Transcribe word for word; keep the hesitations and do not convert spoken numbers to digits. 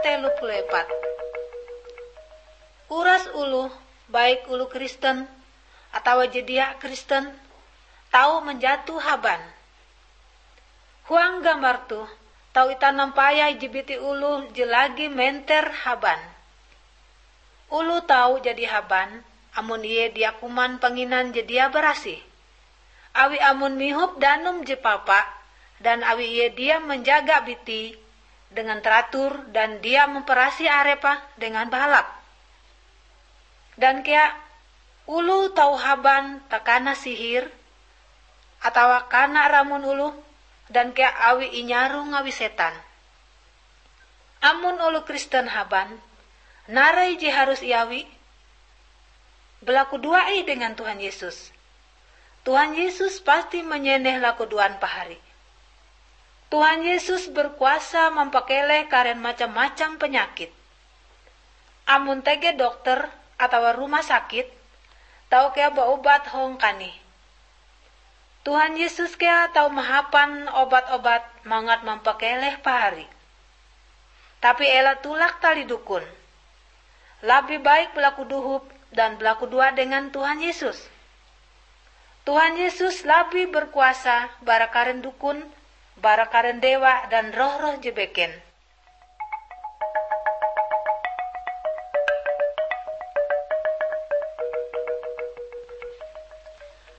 telu puluh empat. Uras oloh, baik oloh Kristen atawa je dia Kristen, tau manjato haban. Huang gambar toh, tau itah nampayah ije biti oloh je lagi menter haban. Oloh tau jadi haban amon ie dia kuman panginan je dia barasih. Awi amon mihop danum je papa, dan awi ie dia manjaga bitie dengan teratur dan dia mamparasih arepe dengan bahalap. Dan kea oloh tau haban takana sihir, atawa kana ramun oloh, dan kea awi inyarong awi setan. Amon oloh Kristen haban, narai je harus iawi? Balakudoa ih dengan Tuhan Yesus. Tuhan Yesus pasti manyeneh lakudoan pahari. Tuhan Yesus berkuasa mampakeleh karen macam-macam panyakit. Amon tege dokter atawa rumah sakit, tau kea baobat hong kanih. Tuhan Yesus kea tau mahapan obat-obat mangat mampakeleh pahari. Tapi ela tulak tali dukun. Labih baik balaku dohop dan balakudoa dengan Tuhan Yesus. Tuhan Yesus labih berkuasa bara karen dukun, bara karen dewa dan roh-roh je beken.